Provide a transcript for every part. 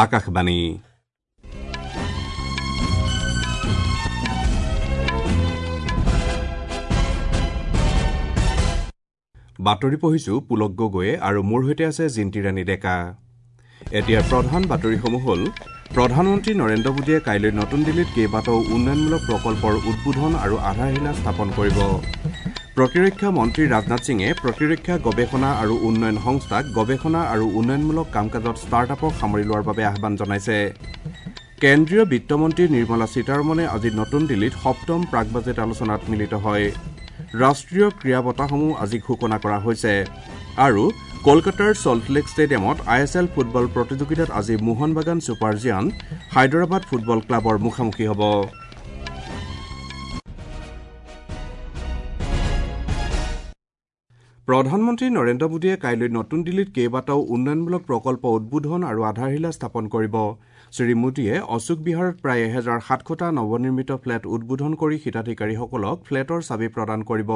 আকাশবাণী। বাতৰি পঢ়িছো পুলক গগৈয়ে আৰু মোৰ সৈতে আছে জিন্তি ৰাণী ডেকা। এতিয়া প্ৰধান বাতৰিসমূহ হ'ল: প্ৰধানমন্ত্ৰী নৰেন্দ্ৰ মোদীয়ে কাইলৈ নতুন দিল্লীত কেইবাটাও উন্নয়নমূলক প্ৰকল্পৰ উদ্বোধন আৰু আধাৰশিলা স্থাপন কৰিব। প্ৰতিৰক্ষা মন্ত্ৰী ৰাজনাথ সিঙে প্ৰতিৰক্ষা গৱেষণা আৰু উন্নয়ন সংস্থাক গৱেষণা আৰু উন্নয়নমূলক কাম কাজত ষ্টাৰ্টআপক সামৰি লোৱাৰ বাবে আহ্বান জনাইছে। কেন্দ্ৰীয় বিত্তমন্ত্ৰী নিৰ্মলা সীতাৰমণে আজি নতুন দিল্লীত সপ্তম প্ৰাক বাজেট আলোচনাত মিলিত হয়। ৰাষ্ট্ৰীয় ক্ৰীড়া বঁটাসমূহ আজি ঘোষণা কৰা হৈছে। আৰু কলকাতাৰ ছল্টলেক ষ্টেডিয়ামত I S L football প্ৰতিযোগিতাত আজি মোহন বাগান ছুপাৰ জিয়াণ্ট হায়দৰাবাদ ফুটবল ক্লাবৰ মুখামুখি হ'ব। প্ৰধানমন্ত্ৰী নৰেন্দ্ৰ মোদীয়ে কাইলৈ নতুন দিল্লীত কেইবাটাও উন্নয়নমূলক প্ৰকল্প উদ্বোধন আৰু আধাৰশিলা স্থাপন কৰিব। শ্ৰী মোদীয়ে অশোক বিহাৰত প্ৰায় 1700টা নৱনিৰ্মিত ফ্লেট উদ্বোধন কৰি হিতাধিকাৰীসকলক ফ্লেটৰ চাবি প্ৰদান কৰিব।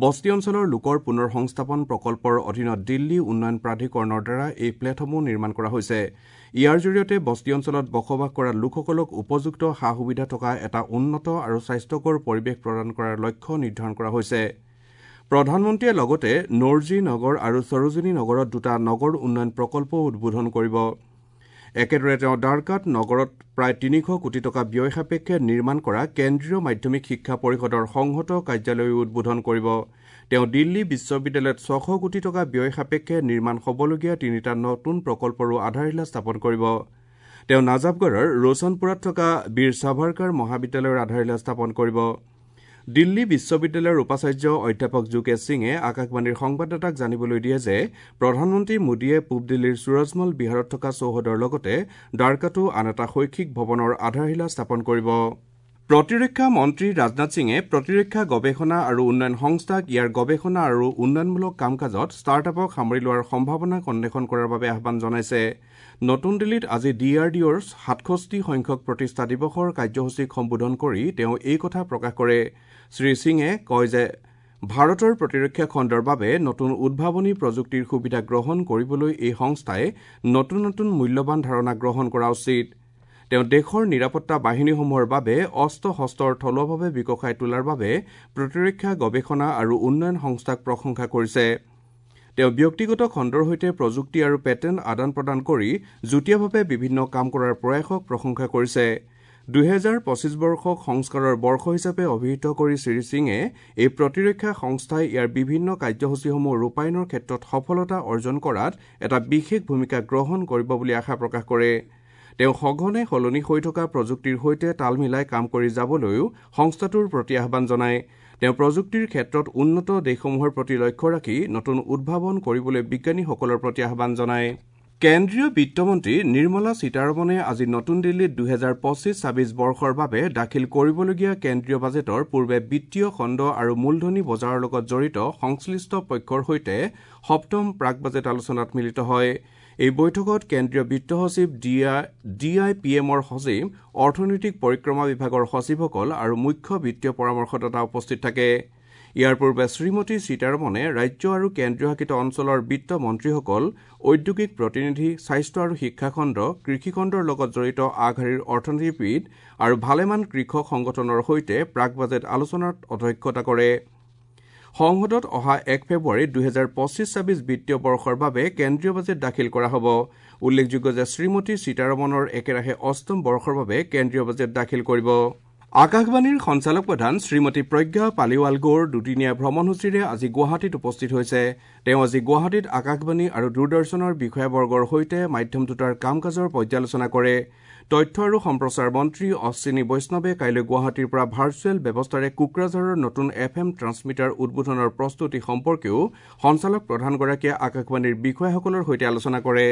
বস্তি অঞ্চলৰ লোকৰ পুনৰ সংস্থাপন প্ৰকল্পৰ অধীনত দিল্লী উন্নয়ন প্ৰাধিকৰণৰ দ্বাৰা এই ফ্লেটসমূহ নিৰ্মাণ কৰা হৈছে। ইয়াৰ জৰিয়তে বস্তি অঞ্চলত বসবাস কৰা লোকসকলক উপযুক্ত সা সুবিধা থকা এটা উন্নত আৰু স্বাস্থ্যকৰ পৰিৱেশ প্ৰদান কৰাৰ লক্ষ্য নিৰ্ধাৰণ কৰা হৈছে। প্ৰধানমন্ত্ৰীয়ে লগতে নৰ্জী নগৰ আৰু সৰোজিনী নগৰত দুটা নগৰ উন্নয়ন প্ৰকল্পও উদ্বোধন কৰিব। একেদৰে তেওঁ দ্বাৰকাত নগৰত প্ৰায় 300 কোটি টকা ব্যয় সাপেক্ষে নিৰ্মাণ কৰা কেন্দ্ৰীয় মাধ্যমিক শিক্ষা পৰিষদৰ সংহত কাৰ্যালয়ো উদ্বোধন কৰিব। তেওঁ দিল্লী বিশ্ববিদ্যালয়ত 600 কোটি টকা ব্যয় সাপেক্ষে নিৰ্মাণ হ'বলগীয়া তিনিটা নতুন প্ৰকল্পৰো আধাৰশিলা স্থাপন কৰিব। তেওঁ নাজাফগড়ৰ ৰোশনপুৰত থকা বীৰ সাভাৰকাৰ মহাবিদ্যালয়ৰ আধাৰশিলা স্থাপন কৰিব। দিল্লী বিশ্ববিদ্যালয়ৰ উপাচাৰ্য অধ্যাপক যোগেশ সিঙে আকাশবাণীৰ সংবাদদাতাক জানিবলৈ দিয়ে যে প্ৰধানমন্ত্ৰী মোদীয়ে পূব দিল্লীৰ সুৰজমল বিহাৰত থকা চৌহদৰ লগতে দ্বাৰকাতো আন এটা শৈক্ষিক ভৱনৰ আধাৰশিলা স্থাপন কৰিব। প্ৰতিৰক্ষা মন্ত্ৰী ৰাজনাথ সিঙে প্ৰতিৰক্ষা গৱেষণা আৰু উন্নয়ন সংস্থাক ইয়াৰ গৱেষণা আৰু উন্নয়নমূলক কাম কাজত ষ্টাৰ্টআপক সামৰি লোৱাৰ সম্ভাৱনাক অন্বেষণ কৰাৰ বাবে আহ্বান জনাইছে। নতুন দিল্লীত আজি ডি আৰ ডি অ'ৰ 67 সংখ্যক প্ৰতিষ্ঠা দিৱসৰ কাৰ্যসূচীক সম্বোধন কৰি তেওঁ এই কথা প্ৰকাশ কৰে। শ্ৰী সিঙে কয় যে ভাৰতৰ প্ৰতিৰক্ষা খণ্ডৰ বাবে নতুন উদ্ভাৱনী প্ৰযুক্তিৰ সুবিধা গ্ৰহণ কৰিবলৈ এই সংস্থাই নতুন নতুন মূল্যৱান ধাৰণা গ্ৰহণ কৰা উচিত। তেওঁ দেশৰ নিৰাপত্তা বাহিনীসমূহৰ বাবে অস্ত্ৰ শস্ত্ৰৰ থলুৱাভাৱে বিকশাই তোলাৰ বাবে প্ৰতিৰক্ষা গৱেষণা আৰু উন্নয়ন সংস্থাক প্ৰশংসা কৰিছে। তেওঁ ব্যক্তিগত খণ্ডৰ সৈতে প্ৰযুক্তি আৰু পেটেণ্ট আদান প্ৰদান কৰি যুটীয়াভাৱে বিভিন্ন কাম কৰাৰ প্ৰয়াসক প্ৰশংসা কৰিছে। 2025 বৰ্ষক সংস্কাৰৰ বৰ্ষ হিচাপে অভিহিত কৰি শ্ৰী সিঙে এই প্ৰতিৰক্ষা সংস্থাই ইয়াৰ বিভিন্ন কাৰ্যসূচীসমূহ ৰূপায়ণৰ ক্ষেত্ৰত সফলতা অৰ্জন কৰাত এটা বিশেষ ভূমিকা গ্ৰহণ কৰিব বুলি আশা প্ৰকাশ কৰে। তেওঁ সঘনে সলনি হৈ থকা প্ৰযুক্তিৰ সৈতে তাল মিলাই কাম কৰি যাবলৈও সংস্থাটোৰ প্ৰতি আহ্বান জনায়। তেওঁ প্ৰযুক্তিৰ ক্ষেত্ৰত উন্নত দেশসমূহৰ প্ৰতি লক্ষ্য ৰাখি নতুন উদ্ভাৱন কৰিবলৈ বিজ্ঞানীসকলৰ প্ৰতি আহ্বান জনায়। কেন্দ্ৰীয় বিত্তমন্ত্ৰী নিৰ্মলা সীতাৰমণে আজি নতুন দিল্লীত 2025-26 বৰ্ষৰ বাবে দাখিল কৰিবলগীয়া কেন্দ্ৰীয় বাজেটৰ পূৰ্বে বিত্তীয় খণ্ড আৰু মূলধনী বজাৰৰ লগত জড়িত সংশ্লিষ্ট পক্ষৰ সৈতে সপ্তম প্ৰাক বাজেট আলোচনাত মিলিত হয়। এই বৈঠকত কেন্দ্ৰীয় বিত্ত সচিব, ডি আই পি এমৰ সচিব, অৰ্থনৈতিক পৰিক্ৰমা বিভাগৰ সচিবসকল আৰু মুখ্য বিত্তীয় পৰামৰ্শদাতা উপস্থিত থাকে। ইয়াৰ পূৰ্বে শ্ৰীমতী সীতাৰমণে ৰাজ্য আৰু কেন্দ্ৰীয় শাসিত অঞ্চলৰ বিত্ত মন্ত্ৰীসকল, ঔদ্যোগিক প্ৰতিনিধি, স্বাস্থ্য আৰু শিক্ষাখণ্ড, কৃষিখণ্ডৰ লগত জড়িত আগশাৰীৰ অৰ্থনীতিবিদ আৰু ভালেমান কৃষক সংগঠনৰ সৈতে প্ৰাক বাজেট আলোচনাত অধ্যক্ষতা কৰে। সংসদত অহা 1 ফেব্ৰুৱাৰীত 2025-26 বিত্তীয় বৰ্ষৰ বাবে কেন্দ্ৰীয় বাজেট দাখিল কৰা হ'ব। উল্লেখযোগ্য যে শ্ৰীমতী সীতাৰমণৰ একেৰাহে অষ্টম বৰ্ষৰ বাবে কেন্দ্ৰীয় বাজেট দাখিল কৰিব। আকাশবাণীৰ সঞ্চালক প্ৰধান শ্ৰীমতী প্ৰজ্ঞা পালিৱাল গৌৰ দুদিনীয়া ভ্ৰমণসূচীৰে আজি গুৱাহাটীত উপস্থিত হৈছে। তেওঁ আজি গুৱাহাটীত আকাশবাণী আৰু দূৰদৰ্শনৰ বিষয়াবৰ্গৰ সৈতে মাধ্যম দুটাৰ কাম কাজৰ পৰ্যালোচনা কৰে। তথ্য আৰু সম্প্ৰচাৰ মন্ত্ৰী অশ্বিনী বৈষ্ণৱে কাইলৈ গুৱাহাটীৰ পৰা ভাৰ্চুৱেল ব্যৱস্থাৰে কোকৰাঝাৰৰ নতুন এফ এম ট্ৰান্সমিটাৰ উদ্বোধনৰ প্ৰস্তুতি সম্পৰ্কেও সঞ্চালক প্ৰধানগৰাকীয়ে আকাশবাণীৰ বিষয়াসকলৰ সৈতে আলোচনা কৰে।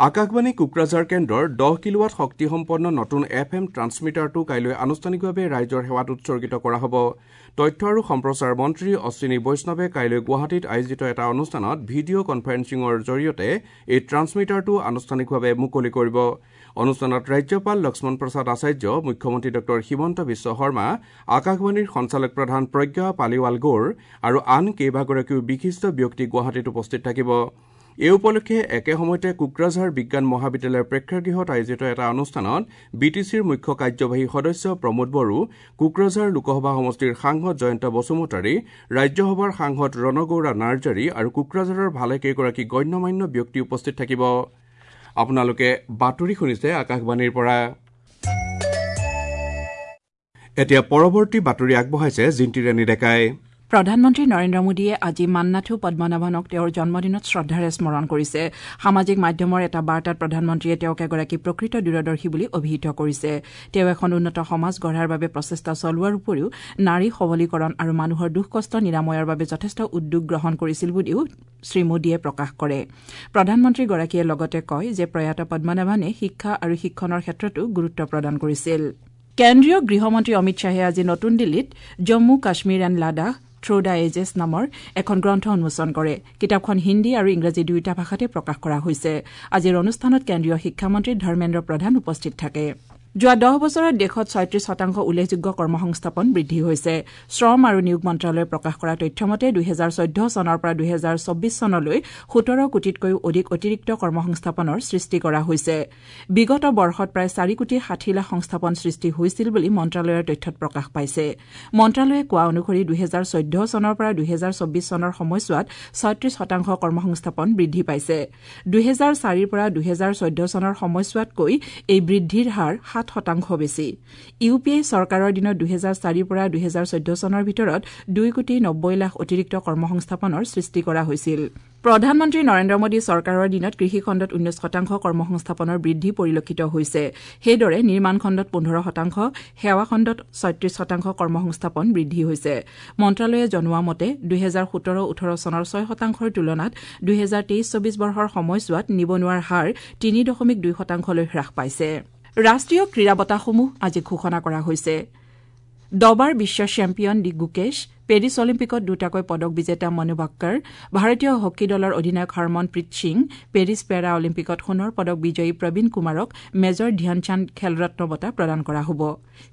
আকাশবাণী কোকৰাঝাৰ কেন্দ্ৰৰ 10 কিলোৱাট শক্তিসম্পন্ন নতুন এফ এম ট্ৰান্সমিটাৰটো কাইলৈ আনুষ্ঠানিকভাৱে ৰাইজৰ সেৱাত উৎসৰ্গিত কৰা হ'ব। তথ্য আৰু সম্প্ৰচাৰ মন্ত্ৰী অশ্বিনী বৈষ্ণৱে কাইলৈ গুৱাহাটীত আয়োজিত এটা অনুষ্ঠানত ভিডিঅ' কনফাৰেন্সিঙৰ জৰিয়তে এই ট্ৰান্সমিটাৰটো আনুষ্ঠানিকভাৱে মুকলি কৰিব। অনুষ্ঠানত ৰাজ্যপাল লক্ষ্মণ প্ৰসাদ আচাৰ্য, মুখ্যমন্ত্ৰী ডঃ হিমন্ত বিশ্ব শৰ্মা, আকাশবাণীৰ সঞ্চালক প্ৰধান প্ৰজ্ঞা পালিৱাল গৌৰ আৰু আন কেইবাগৰাকীও বিশিষ্ট ব্যক্তি গুৱাহাটীত উপস্থিত থাকিব। এই উপলক্ষে একে সময়তে কোকৰাঝাৰ বিজ্ঞান মহাবিদ্যালয়ৰ প্ৰেক্ষাগৃহত আয়োজিত এটা অনুষ্ঠানত বি টি চিৰ মুখ্য কাৰ্যবাহী সদস্য প্ৰমোদ বড়ো, কোকৰাঝাৰ লোকসভা সমষ্টিৰ সাংসদ জয়ন্ত বসুমতাৰী, ৰাজ্যসভাৰ সাংসদ ৰণগৌৰা নাৰ্জাৰী আৰু কোকৰাঝাৰৰ ভালেকেইগৰাকী গণ্যমান্য ব্যক্তি উপস্থিত থাকিব। আপোনালোকে বাতৰি শুনিছে আকাশবাণীৰ পৰা। এতিয়া পৰৱৰ্তী বাতৰি আগবঢ়াইছে জিন্তি ৰাণী ডেকাই। প্ৰধানমন্ত্ৰী নৰেন্দ্ৰ মোদীয়ে আজি মান্নাথু পদ্মনাভনক তেওঁৰ জন্মদিনত শ্ৰদ্ধাৰে স্মৰণ কৰিছে। সামাজিক মাধ্যমৰ এটা বাৰ্তাত প্ৰধানমন্ত্ৰীয়ে তেওঁক এগৰাকী প্ৰকৃত দূৰদৰ্শী বুলি অভিহিত কৰিছে। তেওঁ এখন উন্নত সমাজ গঢ়াৰ বাবে প্ৰচেষ্টা চলোৱাৰ উপৰিও নাৰী সবলীকৰণ আৰু মানুহৰ দুখ কষ্ট নিৰাময়ৰ বাবে যথেষ্ট উদ্যোগ গ্ৰহণ কৰিছিল বুলিও শ্ৰীমোদীয়ে প্ৰকাশ কৰে। প্ৰধানমন্ত্ৰীগৰাকীয়ে লগতে কয় যে প্ৰয়াত পদ্মনাভনে শিক্ষা আৰু শিক্ষণৰ ক্ষেত্ৰতো গুৰুত্ব প্ৰদান কৰিছিল। কেন্দ্ৰীয় গৃহমন্ত্ৰী অমিত শ্বাহে আজি নতুন দিল্লীত Jammu Kashmir and Ladakh through the ages নামৰ এখন গ্ৰন্থ উন্মোচন কৰে। কিতাপখন হিন্দী আৰু ইংৰাজী দুয়োটা ভাষাতে প্ৰকাশ কৰা হৈছে। আজিৰ অনুষ্ঠানত কেন্দ্ৰীয় শিক্ষামন্ত্ৰী ধৰ্মেন্দ্ৰ প্ৰধান উপস্থিত থাকে। যোৱা 10 বছৰত দেশত 36% উল্লেখযোগ্য কৰ্মসংস্থাপন বৃদ্ধি হৈছে। শ্ৰম আৰু নিয়োগ মন্ত্ৰালয়ে প্ৰকাশ কৰা তথ্য মতে 2014 চনৰ পৰা 2024 চনলৈ 17 কোটিতকৈও অধিক অতিৰিক্ত কৰ্মসংস্থাপনৰ সৃষ্টি কৰা হৈছে। বিগত বৰ্ষত প্ৰায় 4 কোটি 60 লাখ সংস্থাপন সৃষ্টি হৈছিল বুলি মন্ত্ৰালয়ৰ তথ্যত প্ৰকাশ পাইছে। মন্ত্ৰালয়ে কোৱা অনুসৰি 2014 চনৰ পৰা 2024 চনৰ সময়ছোৱাত 36% কৰ্মসংস্থাপন বৃদ্ধি পাইছে। 2004ৰ পৰা 2014 চনৰ সময়ছোৱাতকৈ এই বৃদ্ধিৰ হাৰ 7% বেছি। ইউ পি এ চৰকাৰৰ দিনত 2004ৰ পৰা 2014 চনৰ ভিতৰত 2 কোটি 90 লাখ অতিৰিক্ত কৰ্মসংস্থাপনৰ সৃষ্টি কৰা হৈছিল। প্ৰধানমন্ত্ৰী নৰেন্দ্ৰ মোদী চৰকাৰৰ দিনত কৃষিখণ্ডত 19% কৰ্মসংস্থাপনৰ বৃদ্ধি পৰিলক্ষিত হৈছে। সেইদৰে নিৰ্মাণ খণ্ডত 15%, সেৱা খণ্ডত 36% কৰ্মসংস্থাপন বৃদ্ধি হৈছে। মন্ত্ৰালয়ে জনোৱা মতে 2017-18 চনৰ 6%ৰ তুলনাত 2023-24 বৰ্ষৰ সময়ছোৱাত নিবনুৱাৰ হাৰ 3.2%লৈ হ্ৰাস পাইছে। ৰাষ্ট্ৰীয় ক্ৰীড়া বঁটাসমূহ আজি ঘোষণা কৰা হৈছে। দবাৰ বিশ্ব চেম্পিয়ন ডি গুকেশ, পেৰিছ অলিম্পিকত দুটাকৈ পদক বিজেতা মনু বাক্কৰ, ভাৰতীয় হকী দলৰ অধিনায়ক হৰমনপ্ৰীত সিং, পেৰিছ পেৰা অলিম্পিকত সোণৰ পদক বিজয়ী প্ৰবীণ কুমাৰক মেজৰ ধ্যানচান্দ খেলৰত্ন বঁটা প্ৰদান কৰা হ'ব।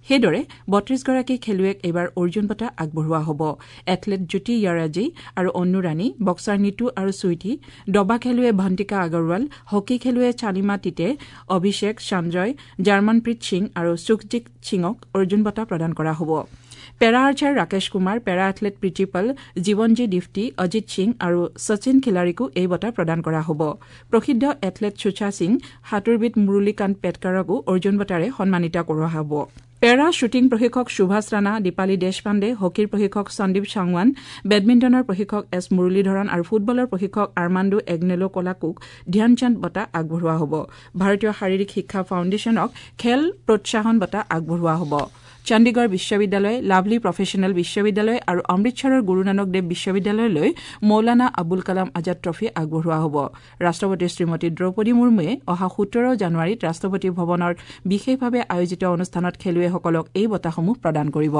সেইদৰে 32গৰাকী খেলুৱৈক এইবাৰ অৰ্জুন বঁটা আগবঢ়োৱা হ'ব। এথলেট জ্যোতি য়াৰাজী আৰু অন্নু ৰাণী, বক্সাৰ নিতু আৰু চুইটি, দবা খেলুৱৈ ভন্তিকা আগৰৱাল, হকী খেলুৱৈ চালিমা তিতে, অভিষেক সঞ্জয়, জাৰ্মনপ্ৰীত সিং আৰু সুখজিৎ সিঙক অৰ্জুন বঁটা প্ৰদান কৰা হ'ব। Para archer Rakesh Kumar, para athlete Preeti Pal, Jeevanji Divti, Ajit Singh আৰু শচীন খিলাৰীকো এই বঁটা প্ৰদান কৰা হ'ব। প্ৰসিদ্ধ এথলেট সুচা সিং, সাঁতোৰবিদ মুৰুলীকান্ত পেটকাৰকো অৰ্জুন বঁটাৰে সন্মানিত কৰা হ'ব। পেৰা শ্বুটিং প্ৰশিক্ষক সুভাষ ৰাণা, দীপালী দেশপাণ্ডে, হকীৰ প্ৰশিক্ষক সন্দীপ সাংৱান, বেডমিণ্টনৰ প্ৰশিক্ষক এছ মুৰুলীধৰণ আৰু ফুটবলৰ প্ৰশিক্ষক আৰ্মাণ্ডো এগনেলো কলাকুক ধ্যানচান্দ বঁটা আগবঢ়োৱা হ'ব। ভাৰতীয় শাৰীৰিক শিক্ষা ফাউণ্ডেশ্যনক খেল প্ৰোৎসাহন বঁটা আগবঢ়োৱা হ'ব। চণ্ডীগড় বিশ্ববিদ্যালয়, লাভলী প্ৰফেচনেল বিশ্ববিদ্যালয় আৰু অমৃতসৰৰ গুৰুনানক দেৱ বিশ্ববিদ্যালয়লৈ মৌলানা আবুল কালাম আজাদ ট্ৰফী আগবঢ়োৱা হ'ব। ৰাষ্ট্ৰপতি শ্ৰীমতী দ্ৰৌপদী মুৰ্মুৱে অহা 17 জানুৱাৰীত ৰাষ্ট্ৰপতি ভৱনত বিশেষভাৱে আয়োজিত অনুষ্ঠানত খেলুৱৈসকলক এই বঁটাসমূহ প্ৰদান কৰিব।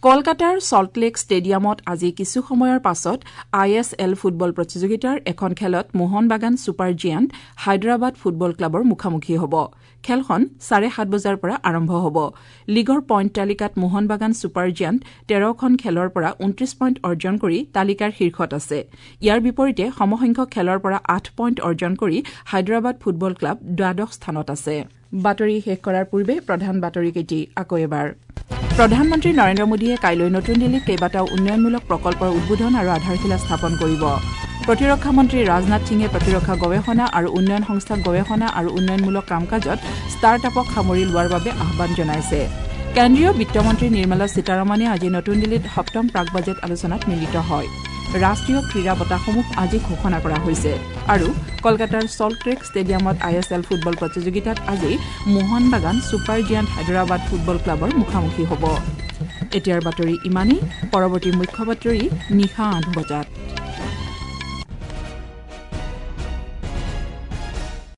কলকাতাৰ ছল্টলেক ষ্টেডিয়ামত আজি কিছু সময়ৰ পাছত I S L football প্ৰতিযোগিতাৰ এখন খেলত Mohun Bagan super giant Hyderabad football ক্লাবৰ মুখামুখি হ'ব। খেলখন 7:30 বজাৰ পৰা আৰম্ভ হ'ব। লীগৰ পইণ্ট তালিকাত মোহন বাগান ছুপাৰ জিয়াণ্ট 13খন খেলৰ পৰা 29 পইণ্ট অৰ্জন কৰি তালিকাৰ শীৰ্ষত আছে। ইয়াৰ বিপৰীতে সমসংখ্যক খেলৰ পৰা 8 পইণ্ট অৰ্জন কৰি হায়দৰাবাদ ফুটবল ক্লাব দ্বাদশ স্থানত আছে। বাতৰি শেষ কৰাৰ পূৰ্বে প্ৰধান বাতৰিকেইটি আকৌ এবাৰ। প্ৰধানমন্ত্ৰী নৰেন্দ্ৰ মোদীয়ে কাইলৈ নতুন দিল্লীত কেইবাটাও উন্নয়নমূলক প্ৰকল্পৰ উদ্বোধন আৰু আধাৰশিলা স্থাপন কৰিব। প্ৰতিৰক্ষা মন্ত্ৰী ৰাজনাথ সিঙে প্ৰতিৰক্ষা গৱেষণা আৰু উন্নয়ন সংস্থাক গৱেষণা আৰু উন্নয়নমূলক কাম কাজত ষ্টাৰ্ট আপক সামৰি লোৱাৰ বাবে আহ্বান জনাইছে। কেন্দ্ৰীয় বিত্তমন্ত্ৰী নিৰ্মলা সীতাৰমণে আজি নতুন দিল্লীত সপ্তম প্ৰাক বাজেট আলোচনাত মিলিত হয়। ৰাষ্ট্ৰীয় ক্ৰীড়া বঁটাসমূহ আজি ঘোষণা কৰা হৈছে। আৰু কলকাতাৰ ছল্টলেক ষ্টেডিয়ামত I S L football প্ৰতিযোগিতাত আজি Mohun Bagan super giant Hyderabad football ক্লাবৰ মুখামুখি হ'ব। এতিয়াৰ বাতৰি ইমানেই। পৰৱৰ্তী মুখ্য বাতৰি নিশা 8 বজাত।